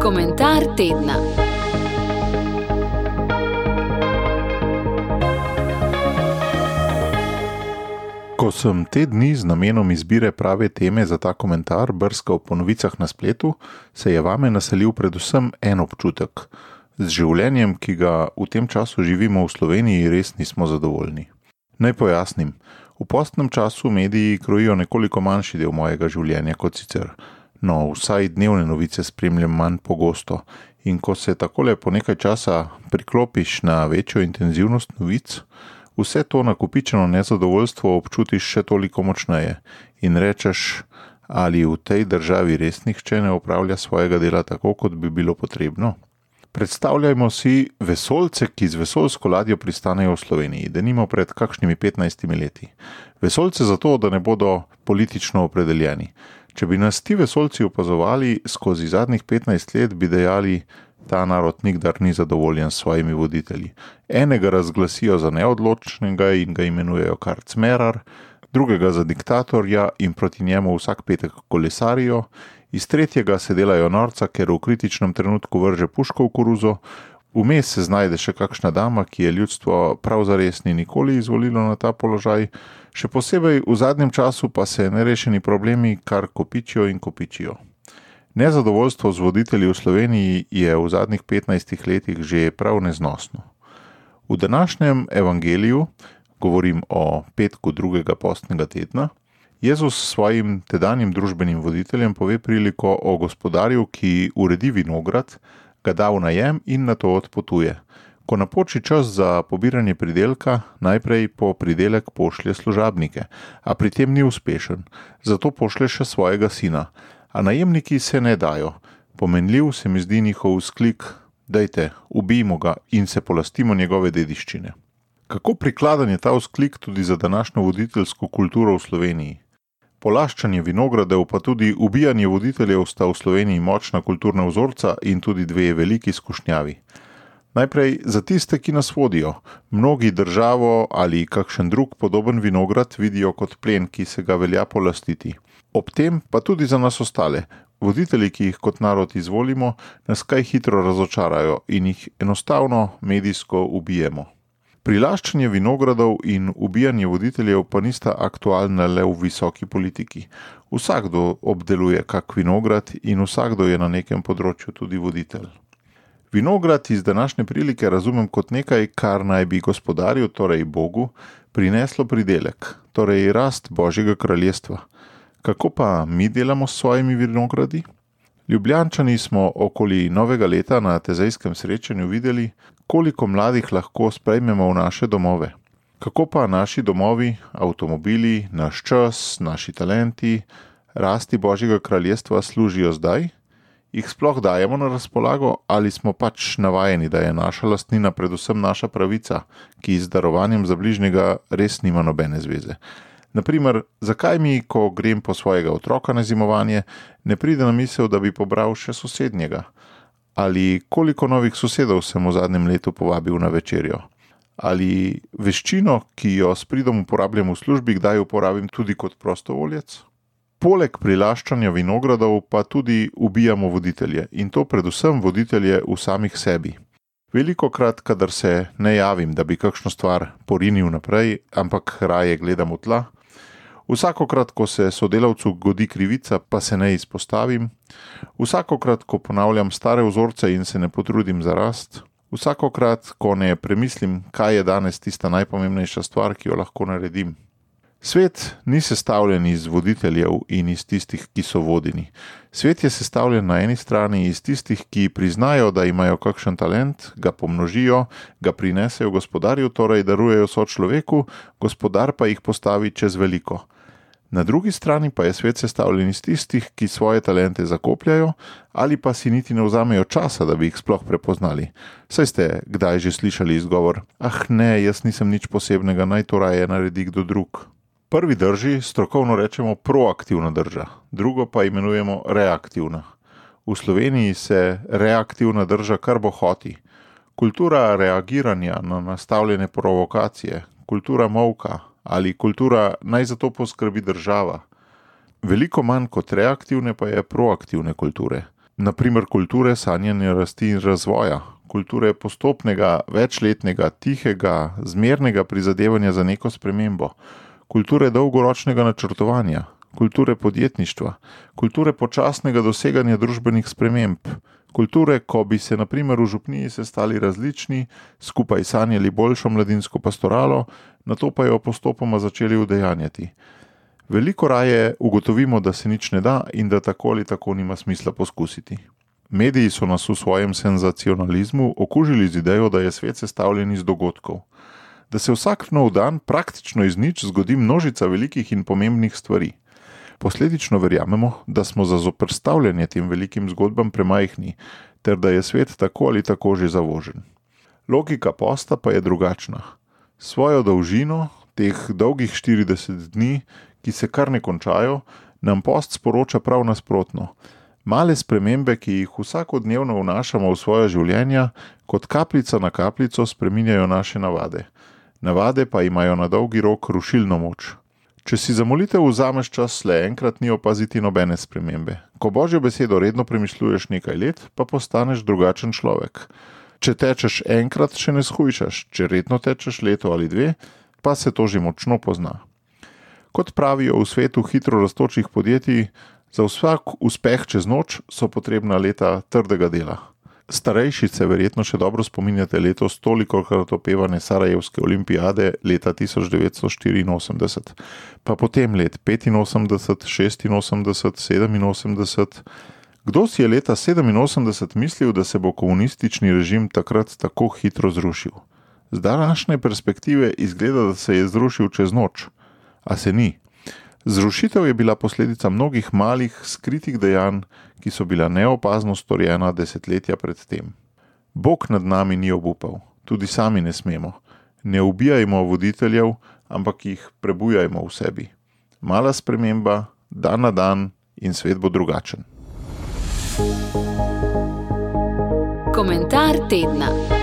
Komentar tedna. Ko sem te dni z namenom izbire prave teme za ta komentar brskal po novicah na spletu, se je vame naselil predvsem en občutek. Z življenjem, ki ga v tem času živimo v Sloveniji, res nismo zadovoljni. Naj pojasnim. V postnem času mediji krojijo nekoliko manjši del mojega življenja kot sicer. No, vsaj dnevne novice spremljam manj pogosto. In ko se takole po nekaj časa priklopiš na večjo intenzivnost novic, vse to nakopičeno nezadovoljstvo občutiš še toliko močneje in rečeš, ali v tej državi res nihče ne opravlja svojega dela tako, kot bi bilo potrebno. Predstavljajmo si vesoljce, ki z vesoljsko ladjo pristanejo v Sloveniji, denimo pred kakšnimi 15 leti. Vesoljce zato, da ne bodo politično opredeljeni. Če bi nas ti vesoljci opazovali skozi zadnjih 15 let, bi dejali, ta narod nikdar ni zadovoljen s svojimi voditelji. Enega razglasijo za neodločnega in ga imenujejo kar cmerar, drugega za diktatorja in proti njemu vsak petek kolesarijo, iz tretjega se delajo norca, ker v kritičnem trenutku vrže puško v koruzo, vmes se znajde še kakšna dama, ki je ljudstvo prav zares ni nikoli izvolilo na ta položaj, še posebej v zadnjem času pa se nerešeni problemi kar kopičijo in kopičijo. Nezadovoljstvo z voditelji v Sloveniji je v zadnjih 15 letih že prav neznosno. V današnjem evangeliju, govorim o petku drugega postnega tedna, Jezus svojim tedanjim družbenim voditeljem pove priliko o gospodarju, ki uredi vinograd, ga da v najem in nato odpotuje. Ko napoči čas za pobiranje pridelka, najprej po pridelek pošlje služabnike, a pri tem ni uspešen, zato pošlje še svojega sina. A najemniki se ne dajo. Pomenljiv se mi zdi njihov vzklik, dajte, ubijmo ga in se polastimo njegove dediščine. Kako prikladen je ta vzklik tudi za današnjo voditeljsko kulturo v Sloveniji? Polaščanje vinogradov pa tudi ubijanje voditeljev sta v Sloveniji močna kulturna vzorca in tudi dve veliki skušnjavi. Najprej za tiste, ki nas vodijo. Mnogi državo ali kakšen drug podoben vinograd vidijo kot plen, ki se ga velja polastiti. Ob tem pa tudi za nas ostale. Voditelji, ki jih kot narod izvolimo, nas kaj hitro razočarajo in jih enostavno medijsko ubijemo. Prilaščanje vinogradov in ubijanje voditeljev pa nista aktualna le v visoki politiki. Vsakdo obdeluje kak vinograd in vsakdo je na nekem področju tudi voditelj. Vinograd iz današnje prilike razumem kot nekaj, kar naj bi gospodarju, torej Bogu, prineslo pridelek, torej rast Božjega kraljestva. Kako pa mi delamo s svojimi vinogradi? Ljubljančani smo okoli novega leta na tezejskem srečanju videli, koliko mladih lahko sprejmemo v naše domove. Kako pa naši domovi, avtomobili, naš čas, naši talenti, rasti Božjega kraljestva služijo zdaj? Jih sploh dajemo na razpolago ali smo pač navajeni, da je naša lastnina predvsem naša pravica, ki z darovanjem za bližnjega res nima nobene zveze? Naprimer, zakaj mi, ko grem po svojega otroka na zimovanje, ne pride na misel, da bi pobral še sosednjega? Ali koliko novih sosedov sem v zadnjem letu povabil na večerjo? Ali veščino, ki jo s pridom uporabljam v službi, kdaj uporabim tudi kot prostovoljec? Poleg prilaščanja vinogradov pa tudi ubijamo voditelje in to predvsem voditelje v samih sebi. Velikokrat, kadar se ne javim, da bi kakšno stvar porinil naprej, ampak raje gledam v tla, vsakokrat, ko se sodelavcu godi krivica, pa se ne izpostavim, vsakokrat, ko ponavljam stare vzorce in se ne potrudim za rast, vsakokrat, ko ne premislim, kaj je danes tista najpomembnejša stvar, ki jo lahko naredim. Svet ni sestavljen iz voditeljev in iz tistih, ki so vodeni. Svet je sestavljen na eni strani iz tistih, ki priznajo, da imajo kakšen talent, ga pomnožijo, ga prinesejo gospodarju, torej darujejo sočloveku, gospodar pa jih postavi čez veliko. Na drugi strani pa je svet sestavljen iz tistih, ki svoje talente zakopljajo ali pa si niti ne vzamejo časa, da bi jih sploh prepoznali. Saj ste kdaj že slišali izgovor, ne, jaz nisem nič posebnega, naj to raje naredi kdo drug. Prvi drži strokovno rečemo proaktivna drža, drugo pa imenujemo reaktivna. V Sloveniji se reaktivna drža kar bohoti. Kultura reagiranja na nastavljene provokacije, kultura molka ali kultura naj za to poskrbi država. Veliko manj kot reaktivne pa je proaktivne kulture. Naprimer kulture sanjanja rasti in razvoja, kulture postopnega, večletnega, tihega, zmernega prizadevanja za neko spremembo, kulture dolgoročnega načrtovanja, kulture podjetništva, kulture počasnega doseganja družbenih sprememb, kulture, ko bi se naprimer v župniji sestali različni, skupaj sanjali boljšo mladinsko pastoralo, nato pa jo postopoma začeli udejanjati. Veliko raje ugotovimo, da se nič ne da in da tako ali tako nima smisla poskusiti. Mediji so nas v svojem senzacionalizmu okužili z idejo, da je svet sestavljen iz dogodkov. Da se vsak nov dan praktično iz nič zgodi množica velikih in pomembnih stvari. Posledično verjamemo, da smo za zoperstavljanje tem velikim zgodbam premajhni, ter da je svet tako ali tako že zavožen. Logika posta pa je drugačna. Svojo dolžino, teh dolgih 40 dni, ki se kar ne končajo, nam post sporoča prav nasprotno. Male spremembe, ki jih vsakodnevno vnašamo v svoje življenja, kot kapljica na kapljico spreminjajo naše navade. Navade pa imajo na dolgi rok rušilno moč. Če si za molitev vzameš čas le enkrat, ni opaziti nobene spremembe. Ko Božjo besedo redno premišljuješ nekaj let, pa postaneš drugačen človek. Če tečeš enkrat, še ne shujšaš, če redno tečeš leto ali dve, pa se to že močno pozna. Kot pravijo v svetu hitro rastočih podjetij, za vsak uspeh čez noč so potrebna leta trdega dela. Starejši se verjetno še dobro spominjate letos tolikokrat opevane Sarajevske olimpijade leta 1984, pa potem let 85, 86, 87. Kdo si je leta 87 mislil, da se bo komunistični režim takrat tako hitro zrušil? Z današnje perspektive izgleda, da se je zrušil čez noč, a se ni. Zrušitev je bila posledica mnogih malih, skritih dejanj, ki so bila neopazno storjena desetletja pred tem. Bog nad nami ni obupal, tudi sami ne smemo. Ne ubijajmo voditeljev, ampak jih prebujajmo v sebi. Mala sprememba, dan na dan in svet bo drugačen. Komentar tedna.